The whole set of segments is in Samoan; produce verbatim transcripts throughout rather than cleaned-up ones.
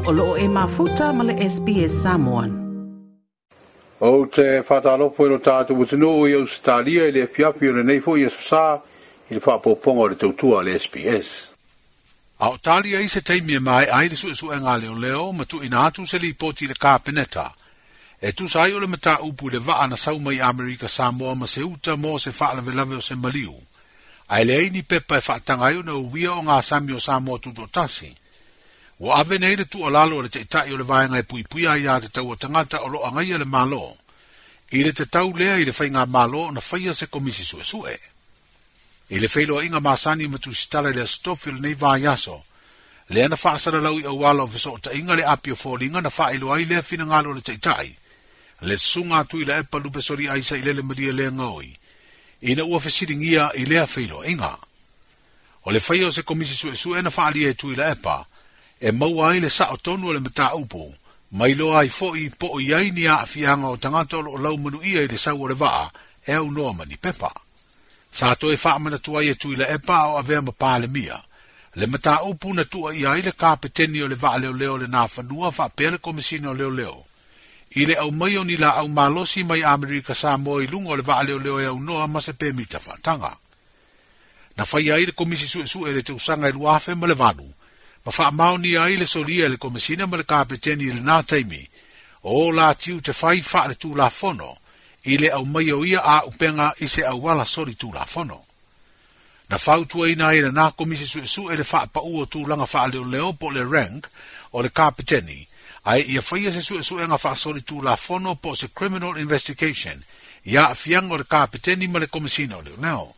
O loo e mafuta ma le S B S Samoan. O te whātālopo i lo tātou atunuu i Australia i le afiafi o lenei foi aso sa i le faapopoga o le tautua a le S B S. A o talia i se taimi e mae ai le suesuega leoleo ma tuuina atu se lipoti i le Kapeneta. E tusa ai o le mataupu i le vaa na sau mai Amerika Samoa ma se uta mo se faalavelave o se maliu. Ae leai ni pepa e faataga ai ona uia o ngā sami o Samoa tutoatasi. Ua ave nei le tuualalo o le taitai o le vaega e puipuia ai a te tau o tagata o lo agaia le Malo. I le tatau lea i le faiga malo ona faia se komisi suesue. I le feiloaiga masani ma tusitala i le aso tofi o lenei vaiaso, lea na faasalalau i auala o fesootaiga le api o foliga na faailoa ai lea finagalo o le taitai, le susuga atu i la epa lupe soli ai sa i lele malia le gaoi, ina ua fesiligia i lea feiloaiga. O le faia o se komisi suesue na faalia e tui la epa, e maua ai le sao tonu o le mataupu, mai loa ai foi po o i ai ni aafiaga o tagata o loo laumanuia i le sau o le vaa e aunoa ma ni pepa. Sa toe faamanatu ai e tui la epa o avea ma palemia, le mataupu na tuuaia ai le kapeteni o le vaa leoleo le nafanua faapea le komisina o leoleo. I le aumai o ni laau malosi mai Amerika Samoa i luga o le vaa leoleo e aunoa ma se pemita faataga. Na faia ai le komisi suesue le tausaga e lua afe ma le valu, ma faamaonia ai le solia e le komisina ma le kapeteni i lenā taimi, o la tiu te fai faale tulafono, i le aumai o ia aupenga i se auala soli tulafono. Na fautuaina ai lenā komisi suesue le faapau o tulaga faaleoleo po o le rank o le kapeteni, ae ia faia se suesuega faasoli tulafono po o se criminal investigation i aafiaga o le kapeteni ma le komisina o leoleo.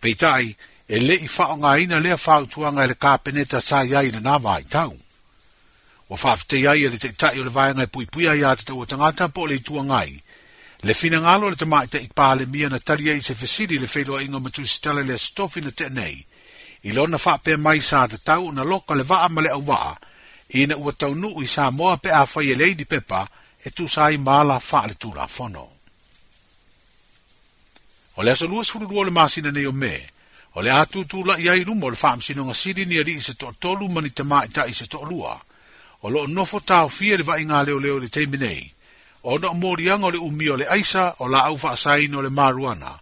Peitai, e le i faaaogaina lea fautuaga e le kapeneta sa i ai i lenā vaitau. Ua faafetai ai e le taitai o le vaega e puipuia ai a te tau o tagata po o le Itu Agai. Le finagalo o le tamaitai palemia na tali ai i se fesili le feiloaiga ma tusitala i le aso tofi na tea nei, i lona faapea mai sa tatau ona loka le vaa ma le auvaa, ina ua taunuu i Samoa pe afai e leai ni pepa e tusa ai ma ala faaletulafono. O le aso luasefululua o le masina nei o Me, o le a tutulai ai i luma o le faamasinoga sili ni alii se toatolu ma ni tamaitai se toalua, o loo nofo taofia le vaaiga leoleo i le taimi nei, ona o moliaga o le umia o le aisa o laau faasaina o le maruana,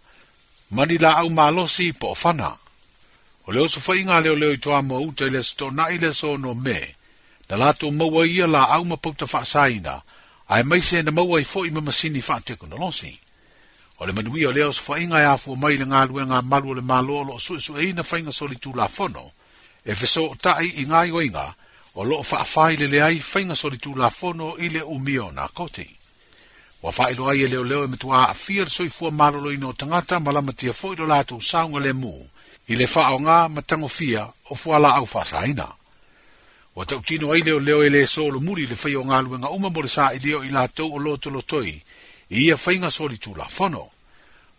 ma ni laau malosi po o fana. O le osofaiga leoleo i Toamoa uta i le aso toonai le aso ono Me, na latou maua ia laau ma pauta faasaina, ae maise na maua ai foi ma masini faatekonolosi. O le manuia o lea osofaiga e afua mai i le galuega a malu o le Malo o loo suesueina faiga solitulafono, e fesootai i gaoioiga o loo faafailele ai faiga solitulafono i le umia o nakoti. Ua faailoa ai e leoleo e matua aafia le soifua maloloina o tagata ma lamatia foi lo latou saogalemu i le faaaoga ma tagofia o fualaau faasaina. Ua tautino ai leoleo e le solomuli i le faia o galuega uma mo le sailia o i latou o lotolotoi i ia faiga solitulafono.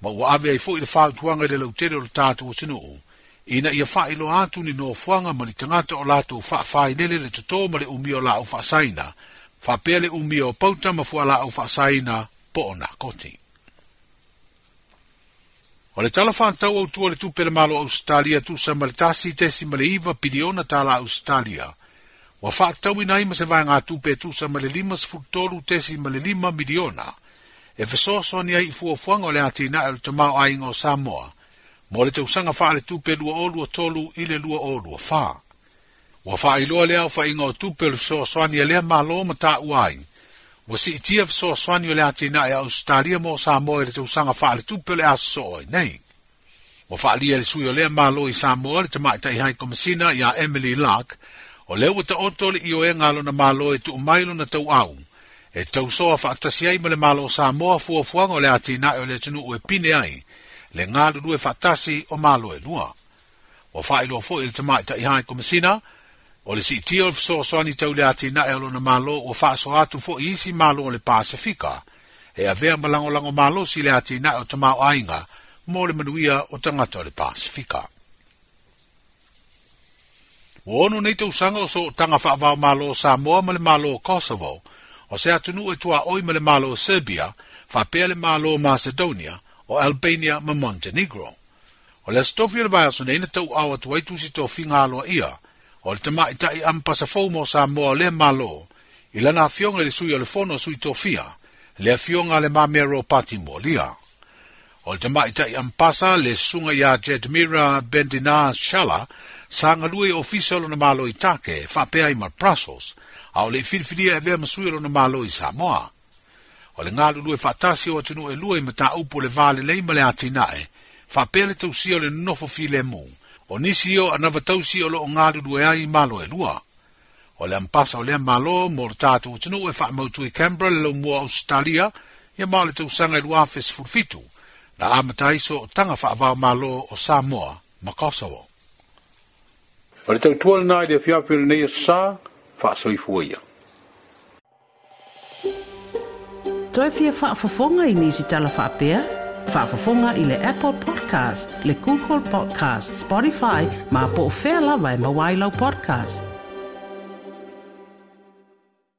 Ma ua ave ai foi le fautuaga i le lautele o le tatou atunuu, ina ia faailoa atu ni nofoaga ma ni tagata o latou faafailele le totō ma le umia o laau faasaina, faapea le umia o pauta ma fualaau faasaina po o nakoti. O le tala faatatau autu o le tupe le Malo Australia tusa ma le tasi tesi ma le iva piliona tala Australia, ua faatatauina ai ma se vaegatupe e tusa ma le lima sefulu tolu tesi ma le lima miliona, e fesoasoani ai i fuafuaga o le atinae o le tamaoaiga o Samoa, mo le tausaga faaletupe lua o lua tolu i le lua o lua fa. Ua faailoa lea aofaiga o tupe o le fesoasoani a lea Malo ma taua ai, ua siitia fesoasoani o le atinae a Australia mo Samoa i le tausaga faaletupe o le a sosoo ai nei. Ua faalia e le sui o lea Malo i Samoa le tamaitai hai komisina ia Emily Lark, o lea ua taoto le ioega a lona Malo e tuu mai lona tauau, e tausoa faatasi ai ma le Malo o Samoa fuafuaga o le atinae o le atunuu e pine ai, le galulue faatasi o Malo e lua. Ua faailoa foi e le tamaitai hai komisina, o le siitia o le fesoasoani tau le atinae o lona Malo ua faasoa atu foi i isi Malo o le Pasefika, e avea ma lagolago malosi le atinae o tamaoaiga mo le manuia o tagata o le Pasefika. Ua ono nei tausaga o sootaga faavao Malo o Samoa ma le Malo o Kosovo, o se atunuu e tuaoi ma le Malo o Serbia, faapea le Malo o Macedonia, o Albania ma Montenegro. O le aso tofi o le vaiaso nei na tauao atu ai tusi tofiga aloaia, O le tamaitai ampasa fou mo Samoa o lea Malo, i lana afioga i le sui o le fono a sui tofia, le afioga a Le Mamea Ropati Mualia. O le tamaitai ampasa le susuga ia Jedmira Bendina Shala, sa galue i ofisa o lona malo i Take, faapea ai ma Brussels, a o le i filifilia e avea ma sui o lona malo i Samoa. O le galulue faatasi o atunuu e lua i mataupu o le va lelei ma le atinae, faapea le tausia o le nonofo filemu, o nisi o anava tausi o loo galulue ai i malo e lua. O le ampasa o lea malo mo le tatou atunuu e faamautu i Canberra le laumua Ausetalia, ia ma o le tausaga i lua afe sefulu fitu, na amata ai sootaga faava-o-Malo o Samoa ma Kosovo. O le tautua lena i le afiafi o lenei aso sa, faasoifua ia. Toe fia faafofoga i nisi tala faapea? Faafofoga i le Apple Podcast, le Google Podcast, Spotify, ma po o fea lava e maua ai lau podcast.